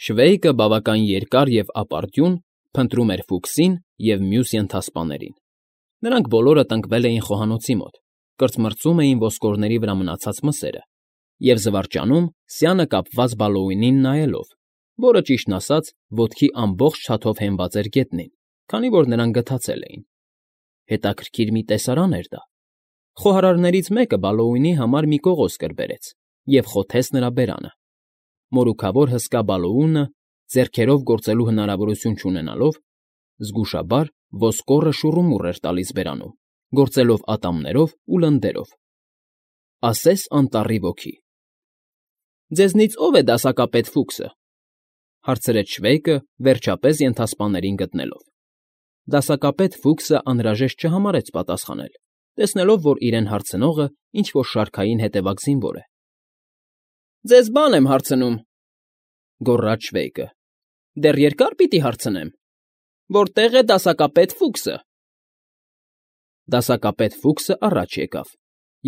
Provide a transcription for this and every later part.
Շվեյկը բավական երկար և ապարդյուն փնտրում էր Ֆուքսին և մյուս ենթասպաներին. նրանք բոլորը տնկվել էին խոհանոցի մոտ, կրծմրծում էին ոսկորների վրա մնացած մսերը և զվարճանում սյանը կապված Բալոուինին նայելով, որը, ճիշտն ասած, ոտքի ամբողջ չաթով հենված էր գետնին, քանի որ նրանք գթացել էին։ Հետաքրքիր մի տեսարան էր դա։ Խոհարարներից մեկը Բալոուինի համար մի կողոս կրբերեց և խոթեց նրա բերանը։ Մորուքավոր հսկա Բալոունը, ձեռքերով գործելու հնարավորություն չունենալով, զգուշաբար ոսկորը շուռումուռ էր տալիս բերանում, գործելով ատամներով ու լնդերով։ Ասես անտառի ոգի։ ֊ Ձեզնից ո՞վ է դասակապետ Ֆուքսը,֊ հարցրեց Շվեյկը, վերջապես ենթասպաներին գտնելով։ Դասակապետ Ֆուքսը անհրաժեշտ չհամարեց պատասխանել, տեսնելով, որ իրեն հարցնողը ինչ֊որ շարքային հետևակ զինվոր է։ ֊ Ձեզ բան եմ հարցնում,֊ գոռաց Շվեյկը։֊ Դեռ երկա՞ր պիտի հարցնեմ։ Որտե՞ղ է դասակապետ Ֆուքսը։ Դասակապետ Ֆուքսը առաջ եկավ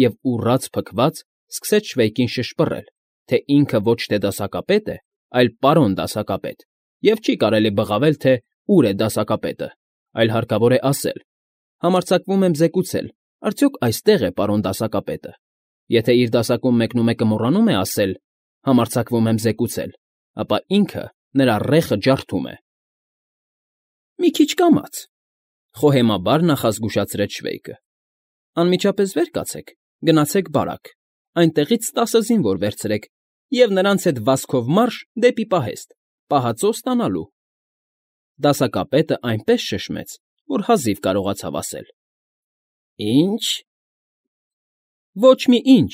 և, ուռած փքված, սկսեց Շվեյկին շշպռել, թե ինքը ոչ թե դասակապետ է, այլ պարոն դասակապետ, և չի կարելի բղավել, թե ուր է դասակապետը, այլ հարկավոր է ասել. «Համարձակվում եմ զեկուցել, արդյոք այստե՞ղ է պարոն դասակապետը»։ Եթե իր դասակում մեկնումեկը մոռանում է ասել. «Համարձակվում եմ զեկուցել», ապա ինքը նրա ռեխը ջարդում է։ ֊ Մի քիչ կամաց,֊ խոհեմաբար նախազգուշացրեց Շվեյկը։ Անմիջապես վեր կացեք, գնացեք բարակ, այնտեղից 10 զինվոր վերցրեք և նրանց հետ վազքով մարշ դեպի պահեստ, պահածո ստանալու։ Դասակապետը այնպես շշմեց, որ հազիվ կարողացավ ասել. «Ի՞նչ»։ Ոչ մի ինչ,֊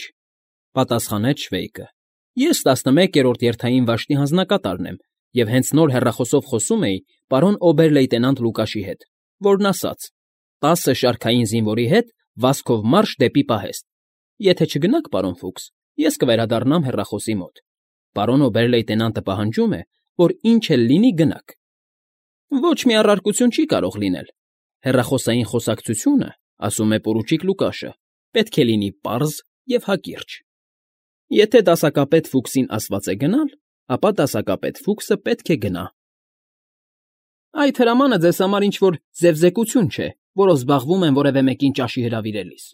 պատասխանեց Շվեյկը։ Ես 11-րդ երթային վաշտի հանձնակատարն եմ և հենց նոր հեռախոսով խոսում էի պարոն օբեր֊լեյտենանտ Լուկաշի հետ, որն ասաց. 10 շարքային զինվորի հետ վազքով մարշ դեպի պահեստ։ Եթե չգնաք, պարոն Ֆուքս, ես կվերադառնամ հեռախոսի մոտ։ Պարոն օբեր֊լեյտենանտը պահանջում է, որ ինչ էլ լինի գնաք։ Ոչ մի առարկություն չի կարող լինել։ Հեռախոսային խոսակցությունը, ասում է պորուչիկ Լուկաշը, պետք է լինի պարզ և հակիրճ։ Եթե դասակապետ Ֆուքսին ասված է գնալ, ապա դասակապետ Ֆուքսը պետք է գնա։ Այդ հրամանը ձեզ համար ինչ֊որ ձևզեկություն չէ, որով զբաղվում են որևէ մեկին ճաշի հրավիրելիս։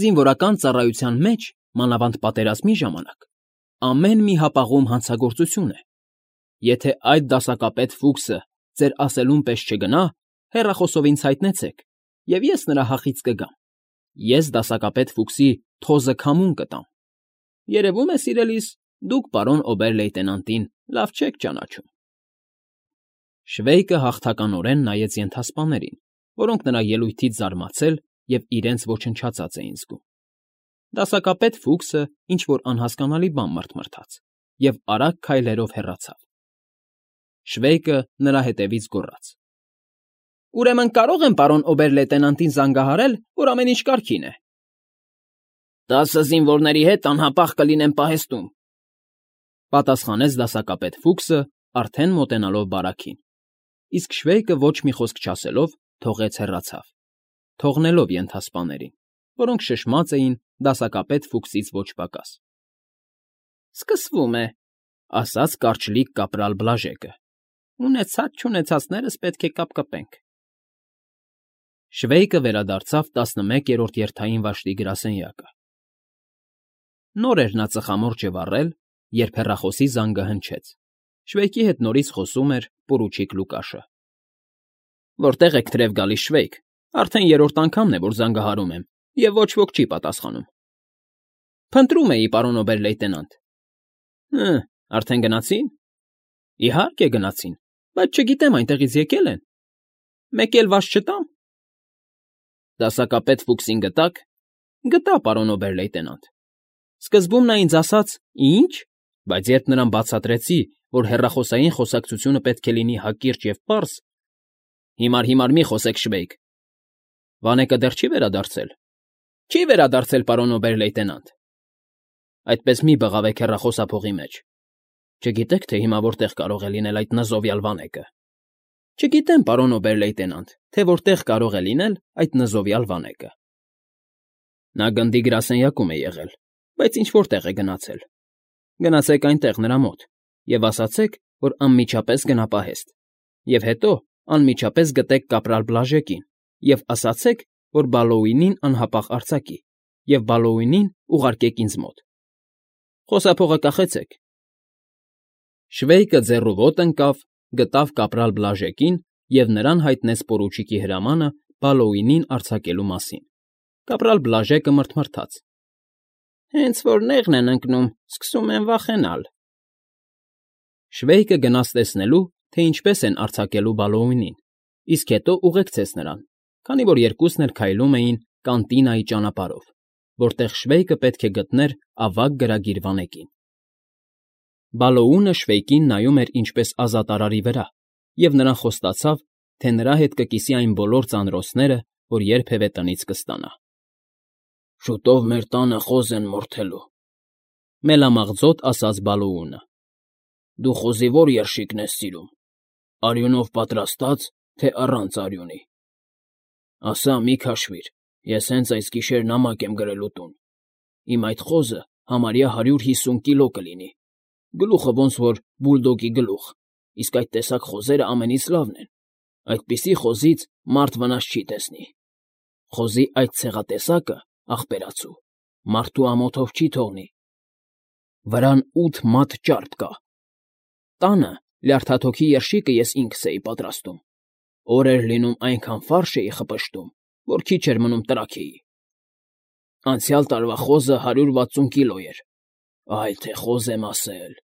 Զինվորական ծառայության մեջ, մանավանդ պատերազմի ժամանակ, ամեն մի հապաղում հանցագործություն է։ Եթե այդ դասակապետ Ֆուքսը ձեր ասելուն պես չգնա, հեռախոսով ինձ հայտնեցեք, և ես նրա հախից կգամ։ Ես դասակապետ Ֆուքսի թոզը քամուն կտամ։ Երևում է, սիրելիս, դուք պարոն օբեր֊լեյտենանտին լավ չեք ճանաչում։ Շվեյկը հաղթականորեն նայեց ենթասպաներին, որոնք նրա ելույթից զարմացել և իրենց ոչնչացած էին զգում։ Դասակապետ Ֆուքսը ինչ֊որ անհասկանալի բան մռթմռթաց և արագ քայլերով հեռացավ։ Շվեյկը նրա հետևից գոռաց. Ուրեմն կարո՞ղ եմ պարոն օբեր֊լեյտենանտին զանգահարել, որ ամեն ինչ կարգին է։ 10 զինվորների հետ անհապաղ կլինեմ պահեստում,֊ պատասխանեց դասակապետ Ֆուքսը, արդեն մոտենալով բարաքին, իսկ Շվեյկը ոչ մի խոսք չասելով թողեց հեռացավ, թողնելով ենթասպաներին, որոնք շշմած էին դասակապետ Ֆուքսից ոչ պակաս։ Սկսվում է,֊ ասաց կարճլիկ կապրալ Բլաժեկը։ Ունեցած֊չունեցածներս պետք է կապկպենք։ Շվեյկը վերադարձավ 11-րդ երթային վաշտի գրասենյակը։ Նոր էր նա ծխամորճը վառել, երբ հեռախոսի զանգը հնչեց։ Շվեյկի հետ նորից խոսում էր պորուչիկ Լուկաշը։ Որտե՞ղ եք թրև գալիս, Շվեյկ, արդեն 3-րդ անգամն է, որ զանգահարում եմ, և ոչ ոք չի պատասխանում։ Փնտրում էի, պարոն օբեր֊լեյտենանտ։ Արդեն գնացի՞ն։ Իհարկե գնացին, բայց չգիտեմ այնտեղից եկել են։ Մեկ էլ վաշ չտամ։ Դասակապետ Ֆուքսին գտա՞ք։ Գտա, պարոն օբեր֊լեյտենանտ։ Սկզբում նա ինձ ասաց. «Ի՞նչ», բայց երբ նրան բացատրեցի, որ հեռախոսային խոսակցությունը պետք է լինի հակիրճ և պարզ… Հիմար մի խոսեք, Շվեյկ։ Վանեկը դեռ չի վերադարձել։ Չի վերադարձել, պարոն օբեր֊լեյտենանտ։ Այդպես մի բղավեք հեռախոսափողի մեջ։ Չգիտեք, թե հիմա որտեղ կարող է լինել այդ նզովյալ վանեկը։ Չգիտեմ, պարոն օբեր֊լեյտենանտ, թե որտեղ կարող է լինել այդ նզովյալ վանեկը։ Նա գնդի գրասենյակում է եղել, բայց ինչ֊որ տեղ է գնացել։ Գնացեք այնտեղ, նրա մոտ, և ասացեք, որ անմիջապես գնա պահեստ, և հետո անմիջապես գտեք կապրալ Բլաժեկին և ասացեք, որ Բալոուինին անհապաղ արձակի, և Բալոուինին ուղարկեք ինձ մոտ։ Խոսափողը կախեցեք։ Շվեյկը ձեռու ոտ ընկավ, գտավ կապրալ Բլաժեկին և նրան հայտնեց պորուչիկի հրամանը Բալոուինին արձակելու մասին։ Կապրալ Բլաժեկը մռթմռթաց. Հենց որ նեղն են ընկնում, սկսում են վախենալ։ Շվեյկը գնաց տեսնելու, թե ինչպես են արձակելու Բալոուինին, իսկ հետո ուղեկցեց նրան, քանի որ երկուսն էլ քայլում էին Կանտինայի ճանապարհով, որտեղ Շվեյկը պետք է գտներ ավագ գրագիր վանեկին։ Բալոունը Շվեյկին նայում էր ինչպես ազատարարի վրա, և նրան խոստացավ, թե նրա հետ կկիսի այն բոլոր ծանրոցները, որ երբևէ տնից կստանա։ Շուտով մեր տանը խոզ են մորթելու,֊ մելամաղձոտ ասաց Բալոունը։ Դու խոզի ո՞ր երշիկն ես սիրում, արյունով պատրաստա՞ծ, թե առանց արյունի։ Ասա, մի քաշվիր, ես հենց այս գիշեր նամակ եմ գրելու տուն։ Իմ այդ խոզը համարյա 150 կիլո կլինի, գլուխը ոնց որ բուլդոգի գլուխ, իսկ այդ տեսակ խոզերը ամենից լավն են, այդպիսի խոզից մարդ վնաս չի տեսնի։ Խոզի այդ ցեղատեսակը, ախպերացու, մարդու ամոթով չի թողնի։ Վրան 8 մատ ճարպ կա։ Տանը լյարդաթոքի երշիկը ես ինքս էի պատրաստում։ Օր էր լինում այնքան ֆարշ էի խպշտում, որ քիչ էր մնում տրաքեի։ Անցյալ տարվա խոզը 160 կիլո էր։ Այ թե խոզ եմ ասել,֊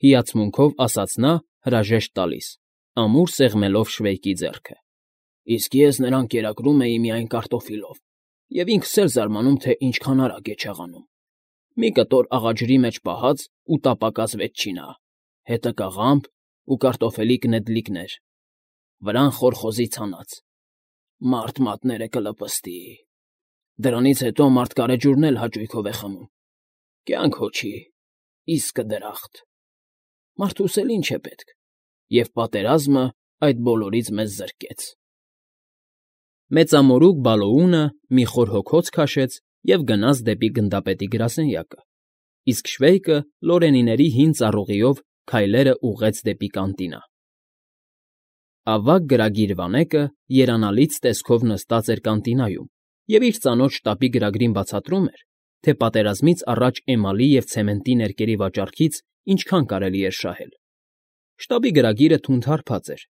հիացմունքով ասաց նա, հրաժեշտ տալիս, ամուր սեղմելով Շվեյկի ձեռքը։ Իսկ ես նրան կերակրում էի միայն կարտոֆիլով, և ինքս էլ զարմանում, թե ինչքան արագ է չաղանում։ Մի կտոր աղաջրի մեջ պահած ու տապակած վեթչինա, հետը կաղամբ ու կարտոֆիլի կնեդլիկներ, վրան խոր խոզի ցանած։ Մարդ մատները կլպստի։ Դրանից հետո մարդ գարեջուրն էլ հաճույքով է խմում։ Կյանք հոչի, իսկը դրախտ։ Մարդուս էլ ինչ է պետք, և պատերազմը այդ բոլորից մեզ զրկեց։ Մեծամորուք Բալոունը մի խոր հոգոց քաշեց և գնաց դեպի գնդապետի գրասենյակը, իսկ Շվեյկը Լորենիների հին ծառուղիով քայլերը ուղղեց դեպի կանտինա։ Ավագ գրագիր վանեկը երանալից տեսքով նստած էր կանտինայում և իր ծանոթ շտապի գրագրին բացատրում էր, թե պատերազմից առաջ էմալի և ցեմենտի ներկերի վաճառքից ինչքան կարելի էր շահել։ Շտաբի գրագիրը թունդ֊հարբած էր։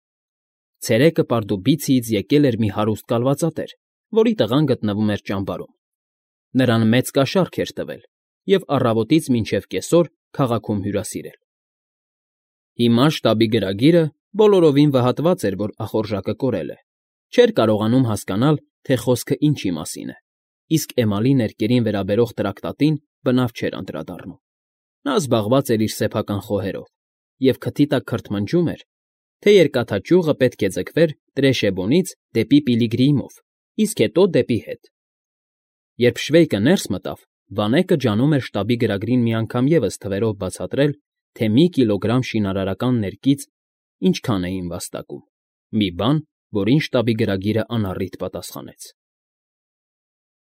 Ցերեկը Պարդուբիցիից եկել էր մի հարուստ կալվածատեր, որի տղան գտնվում էր ճամբարում։ Նրան մեծ կաշառք էր տվել և առավոտից մինչև կեսօր քաղաքում հյուրասիրել։ Հիմա շտաբի գրագիրը բոլորովին վհատված էր, որ ախորժակը կորել է, չէր կարողանում հասկանալ, թե խոսքը ինչի մասին է, իսկ էմալի ներկերին վերաբերող տրակտատին բնավ չէր անդրադառնում։ Նա զբաղված էր իր սեփական խոհերով և քթի տակ քրթմնջում էր, թե երկաթաճյուղը պետք է ձգվեր Տրեշեբոնից դեպի Պիլիգրիմով, իսկ հետո դեպի հետ։ Երբ Շվեյկը ներս մտավ, վանեկը ջանում էր շտաբի գրագրին մի անգամ ևս թվերով բացատրել, թե մի կիլոգրամ շինարարական ներկից ինչքան էին վաստակում, մի բան, որին շտաբի գրագիրը անառիթ պատասխանեց.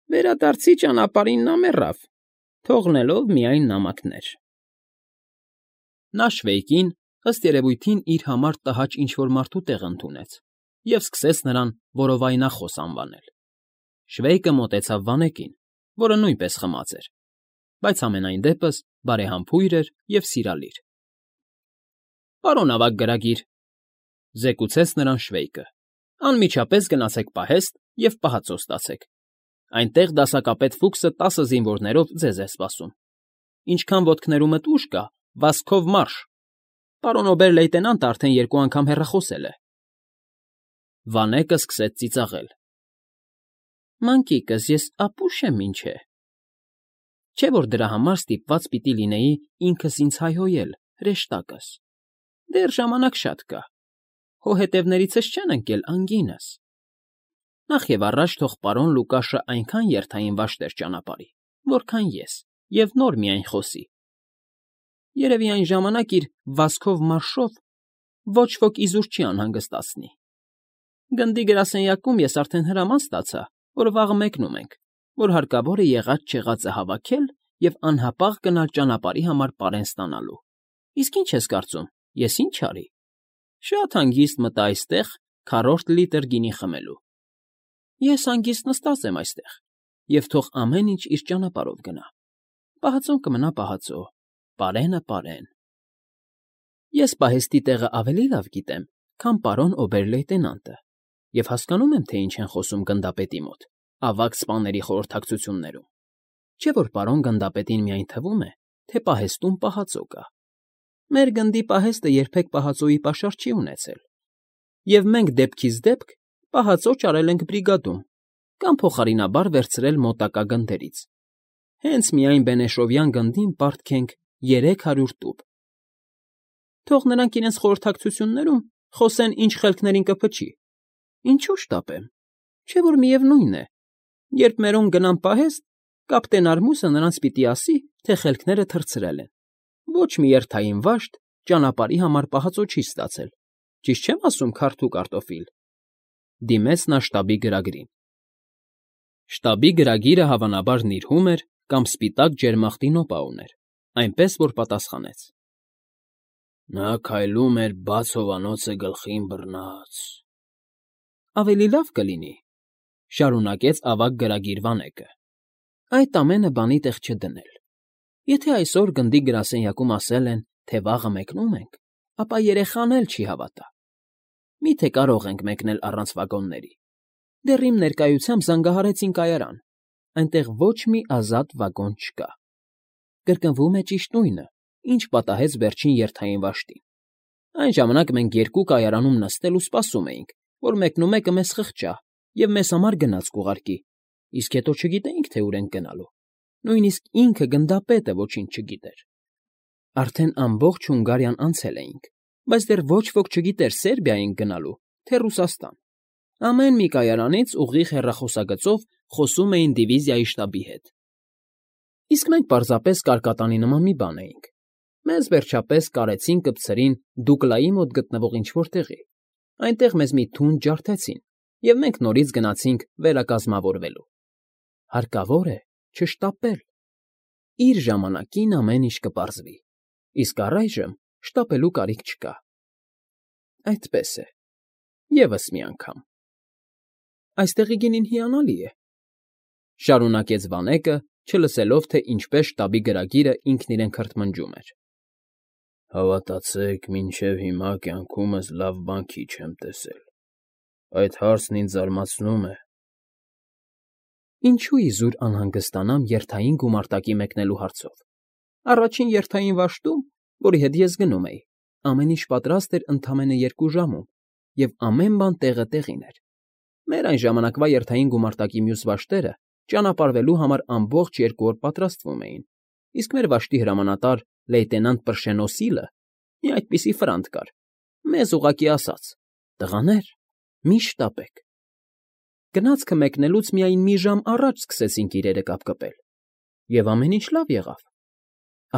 Վերադարձի ճանապարհին նա մեռավ, թողնելով միայն նամակներ։ Նա Շվեյկին, ըստ երևույթին, իր համար տհաճ ինչ֊որ մարդու տեղ ընդունեց և սկսեց նրան որովայնախոս անվանել։ Շվեյկը մոտեցավ վանեկին, որը նույնպես խմած էր, բայց համենայն դեպս բարեհամբույր էր և սիրալիր։ Պարոն ավագ գրագիր,֊ զեկուցեց նրան Շվեյկը,֊ անմիջապես գնացեք պահեստ և պահածո ստացեք։ Այնտեղ դասակապետ Ֆուքսը 10 զինվորներով ձեզ է սպասում։ Ինչքան ոտքներումդ ուժ կա, վազքով մարշ։ Պարոն օբեր֊լեյտենանտը արդեն 2 անգամ հեռախոսել է։ Վանեկը սկսեց ծիծաղել։ Մանկիկս, ես ապուշ եմ, ինչ է։ Չէ՞ որ դրա համար ստիպված պիտի լինեի ինքս ինձ հայհոյել, հրեշտակս։ Դեռ ժամանակ շատ կա։ Հո հետևներիցս չեն ընկել անգինս։ Նախևառաջ թող պարոն Լուկաշը այնքան երթային վաշտեր ճանապարհի, որքան ես, և նոր միայն խոսի։ Երևի այն ժամանակ իր վազքով մարշով ոչ ոք իզուր չի անհանգստացնի։ Գնդի գրասենյակում ես արդեն հրաման ստացա, որ վաղը մեկնում ենք, որ հարկավոր է եղած֊չեղածը հավաքել և անհապաղ գնալ ճանապարհի համար պարեն ստանալու։ Իսկ ինչ ես կարծում, ես ինչ արի։ Շատ հանգիստ մտա այստեղ քառորդ լիտր գինի խմելու։ Ես հանգիստ նստած եմ այստեղ, և թող ամեն ինչ իր ճանապարհով գնա։ Պահածոն կմնա պահածո, պարենը՝ պարեն։ Ես պահեստի տեղը ավելի լավ գիտեմ, քան պարոն օբեր֊լեյտենանտը, և հասկանում եմ, թե ինչ են խոսում գնդապետի մոտ, ավագ սպաների խորհրդակցություններում։ Չէ՞ որ պարոն գնդապետին միայն թվում է, թե պահեստում պահածո կա։ Մեր գնդի պահեստը երբեք պահածոյի պաշար չի ունեցել, և մենք դեպքից դեպք պահածո ճարել ենք բրիգադում կամ փոխարինաբար վերցրել մոտակա գնդերից։ Հենց միայն Բենեշովյան գնդին պարտք ենք 300 տուփ։ Թող նրանք իրենց խորհրդակցություններում խոսեն, ինչ խելքներին կփչի։ Ինչու շտապեմ, չէ՞ որ միևնույն է, երբ մերոնք գնան պահեստ, կապտեն Արմուսը նրանց պիտի ասի, թե խելքները թռցրել են։ Ոչ մի երթային վաշտ ճանապարհի համար պահածո չի ստացել, ճիշտ չեմ ասում, քարդ ու կարտոֆիլ։ Դիմեց նա շտաբի գրագրին։ Շտաբի գրագիրը հավանաբար նիրհում էր կամ սպիտակ ջերմախտի նոպա ուներ, այնպես որ պատասխանեց. Նա քայլում էր բաց հովանոցը գլխին բռնած։ Ավելի լավ կլինի, շարունակեց ավագ գրագիր Վանեկը, այդ ամենը բանի տեղ չդնել։ Եթե այսօր գնդի գրասենյակում ասել են, թե վաղը մեկնում ենք, ապա երեխան էլ չի հավատա։ Մի՞թե կարող ենք մեկնել առանց վագոնների։ Դեռ իմ ներկայությամբ զանգահարեցին կայարան, այնտեղ ոչ մի ազատ վագոն չկա։ Կրկնվում է ճիշտ նույնը, ինչ պատահեց վերջին երթային վաշտին։ Այն ժամանակ մենք երկու կայարանում նստել ու սպասում էինք, որ մեկնումեկը մեզ խղճա և մեզ համար գնաց կուղարկի, իսկ հետո չգիտեինք, թե ուր ենք գնալու։ Նույնիսկ ինքը գնդապետը ոչինչ չգիտեր։ Արդեն ամբողջ Հունգարիան անցել էինք, բայց դեռ ոչ ոք չգիտեր Սերբիա ենք գնալու, թե Ռուսաստան։ Ամեն մի կայարանից ուղիղ հեռախոսագծով խոսում էին դիվիզիայի շտաբի հետ։ Իսկ մենք պարզապես կարկատանի նման մի բան էինք։ Մեզ վերջապես կարեցին կպցրին Դուկլայի մոտ գտնվող ինչ֊որ տեղի։ Այնտեղ մեզ մի թունդ ջարդեցին, և մենք նորից գնացինք վերակազմավորվելու։ Հարկավոր է չշտապել։ Իր ժամանակին ամեն ինչ կպարզվի, իսկ առայժմ շտապելու կարիք չկա։ Այդպես է, ևս մի անգամ։ Այստեղի գինին հիանալի է, շարունակեց Վանեկը, չլսելով, թե ինչպես շտաբի գրագիրը ինքն իրեն քրթմնջում էր։ Հավատացեք, մինչև հիմա կյանքումս լավ բան քիչ եմ տեսել։ Այդ հարցն ինձ զարմացնում է։ Ինչու իզուր անհանգստանամ երթային գումարտակի մեկնելու հարցով։ Առաջին երթային վաշտում, որի հետ ես գնում էի, ամեն ինչ պատրաստ էր ընդամենը 2 ժամում, և ամեն բան տեղը տեղին էր։ Մեր այն ժամանակվա երթային գումարտակի մյուս վաշտերը ճանապարհվելու համար ամբողջ 2 օր պատրաստվում էին, իսկ մեր վաշտի հրամանատար լեյտենանտ Պրշենոսիլը մի այդպիսի ֆրանտ կար, մեզ ուղղակի ասաց. «Տղաներ, մի շտապեք»։ Գնացքը մեկնելուց միայն մի ժամ առաջ սկսեցինք իրերը կապկպել, և ամեն ինչ լավ եղավ։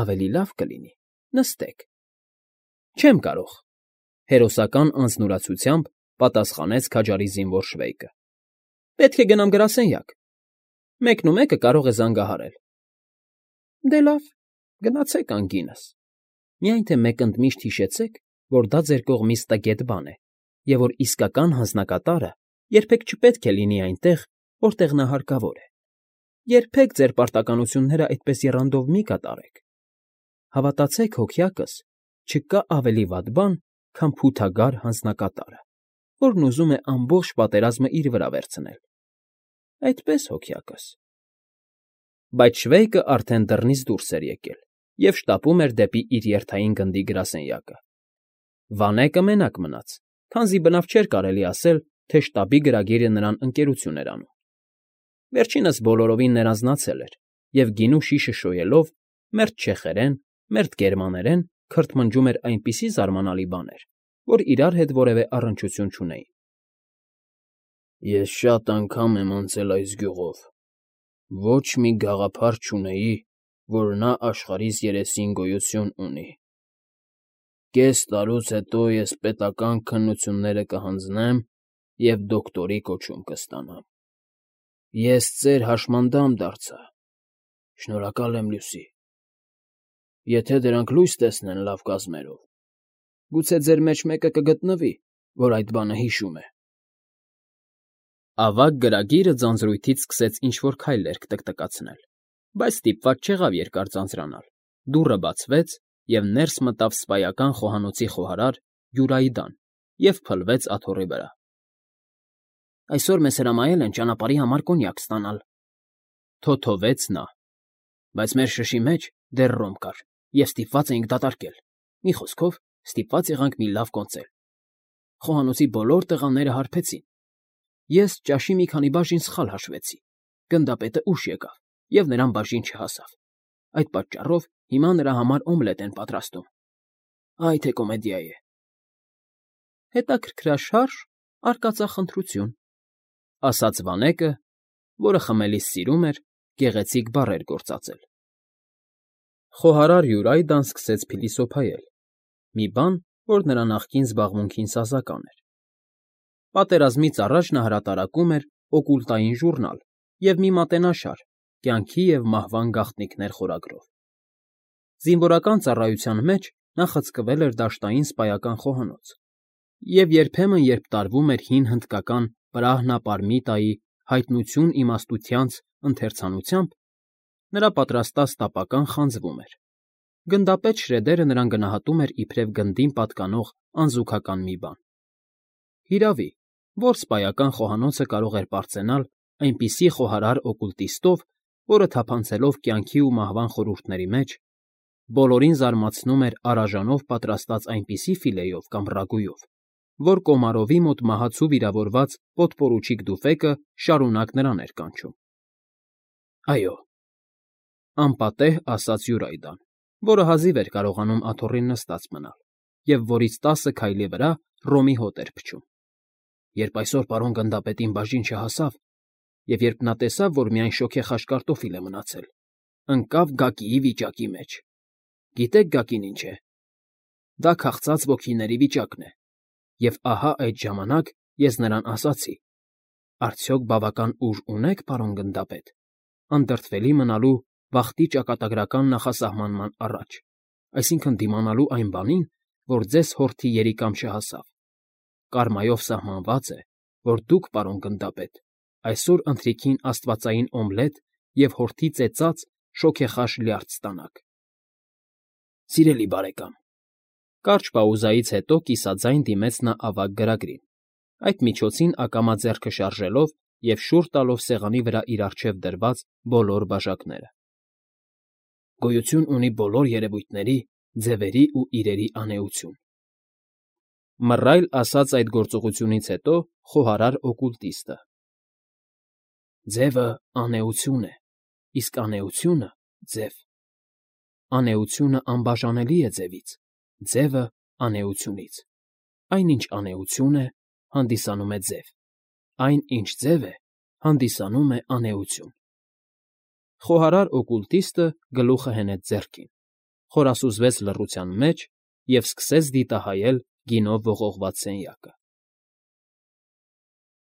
Ավելի լավ կլինի նստեք։ Չեմ կարող, հերոսական անձնուրացությամբ պատասխանեց քաջարի զինվոր շվեյկը։ Պետք է գնամ գրասենյակ։ Մեկնումեկը կարող է զանգահարել։ Դե լավ, գնացեք անգինս։ Միայն թե մեկ ընդմիշտ հիշեցեք, որ դա ձեր կողմից տգետ բան է, և որ իսկական հանձնակատարը երբեք չպետք է լինի այնտեղ, որտեղ նա հարկավոր է։ Երբեք ձեր պարտականությունները այդպես եռանդով մի կատարեք։ Հավատացեք, հոգյակս, չկա ավելի վատ բան, քան փութագար հանձնակատարը, որն ուզում է ամբողջ պատերազմը իր վրա վերցնել։ Այդպես, հոգյակս։ Բայց շվեյկը արդեն դռնից դուրս էր եկել և շտապում էր դեպի իր երթային գնդի գրասենյակը։ Վանեկը մենակ մնաց, քանզի բնավ չէր կարելի ասել, թե շտաբի գրագիրը նրան ընկերություն էր անում։ Վերջինս բոլորովին ներանձնացել էր և գինու շիշը շոյելով, մերթ չեխերեն, մերթ գերմաներեն քրթմնջում էր այնպիսի զարմանալի բաներ, որ իրար հետ որևէ առնչություն չունեին։ Ես շատ անգամ եմ անցել այս գյուղով։ Ոչ մի գաղափար չունեի, որ նա աշխարհիս երեսին գոյություն ունի։ Կես տարուց հետո ես պետական քննությունները կհանձնեմ և դոկտորի կոչում կստանամ։ Ես ծեր հաշմանդամ դարձա։ Շնորհակալ եմ, Լյուսի։ Եթե դրանք լույս տեսնեն լավ կազմերով, գուցե ձեր մեջ մեկը կգտնվի, որ այդ բանը հիշում է։ Ավագ գրագիրը ձանձրույթից սկսեց ինչ֊որ քայլեր տկտկացնել, բայց ստիպված չեղավ երկար ձանձրանալ։ Դուռը բացվեց, և ներս մտավ սպայական խոհանոցի խոհարար Յուրայդան և փլվեց աթոռի վրա։ Այսօր մեզ հրամայել են ճանապարհի համար կոնյակ ստանալ, թոթովեց նա, բայց մեր շշի մեջ դեռ ռոմ կար, և ստիպված էինք դատարկել։ Մի խոսքով, ստիպված եղանք մի լավ կոնծել։ Խոհանոցի բոլոր տղաները հարբեցին։ Ես ճաշի մի քանի բաժին սխալ հաշվեցի։ Գնդապետը ուշ եկավ, և նրան բաժին չհասավ։ Այդ պատճառով հիմա նրա համար օմլետ են պատրաստում։ Այ թե կոմեդիա է։ Հետաքրքրաշարժ, արկածախնդրություն, ասաց Վանեկը, որը խմելիս սիրում էր գեղեցիկ բառեր գործածել։ Խոհարար Յուրայդան սկսեց փիլիսոփայել, մի բան, որ նրա նախկին զբաղմունքին սազական էր։ Պատերազմից առաջ նա հրատարակում էր օկուլտային ժուրնալ և մի մատենաշար «Կյանքի և մահվան գաղտնիքներ» խորագրով։ Զինվորական ծառայության մեջ նա խցկվել էր դաշտային սպայական խոհանոց, և երբեմն, երբ տարվում էր հին հնդկական Պրահնապարմիտայի «Հայտնություն իմաստությանց» ընթերցանությամբ, նրա պատրաստած տապական խանձվում էր։ Գնդապետ Շրեդերը նրան գնահատում էր իբրև գնդին պատկանող անզուգական մի բան։ Հիրավի, որ սպայական խոհանոցը կարող էր պարծենալ այնպիսի խոհարար օկուլտիստով, որը թափանցելով կյանքի ու մահվան խորհուրդների մեջ, բոլորին զարմացնում էր արաժանով պատրաստած այնպիսի ֆիլեյով կամ ռագույով, որ Կոմարովի մոտ մահացու վիրավորված պոդպորուչիկ դուֆեկը շարունակ նրան էր կանչում։ Այո, անպատեհ ասաց Յուրայդան, որը հազիվ էր կարողանում աթոռին նստած մնալ, և որից 10 քայլի վրա ռոմի հոտ էր փչում։ Երբ այսօր պարոն գնդապետին բաժին չհասավ, և երբ նա տեսավ, որ միայն շոգեխաշ կարտոֆիլ է մնացել, ընկավ գակիի վիճակի մեջ։ Գիտեք գակին ինչ է։ Դա քաղցած ոգիների վիճակն է, և ահա այդ ժամանակ ես նրան ասացի. «Արդյոք բավական ուժ ունե՞ք, պարոն գնդապետ, անդրդվելի մնալու վախտի ճակատագրական նախասահմանման առաջ, այսինքն՝ դիմանալու այն բանին, որ ձեզ հորթի երիկամ չհասավ։ Կարմայով սահմանված է, որ դուք, պարոն գնդապետ, այսօր ընթրիքին աստվածային օմլետ և հորթի ծեծած շոգեխաշ լյարդ ստանաք»։ Սիրելի բարեկամ, կարճ պաուզայից հետո կիսաձայն դիմեց նա ավագ գրագրին, այդ միջոցին ակամա ձեռքը շարժելով և շուռ տալով սեղանի վրա իր առջև դրված բոլոր բաժակները։ Գոյություն ունի բոլոր երևույթների, ձևերի ու իրերի անէություն։ Մռայլ ասաց այդ գործողությունից հետո խոհարար օկուլտիստը։ Ձևը անէություն է, իսկ անէությունը՝ ձև։ Անէությունը անբաժանելի է ձևից, ձևը՝ անէությունից։ Այն, ինչ անէություն է, հանդիսանում է ձև, այն, ինչ ձև է, հանդիսանում է անէություն։ Խոհարար օկուլտիստը գլուխը հենեց ձեռքին, խորասուզվեց լռության մեջ և սկսեց դիտահայել գինով ողողված սենյակը։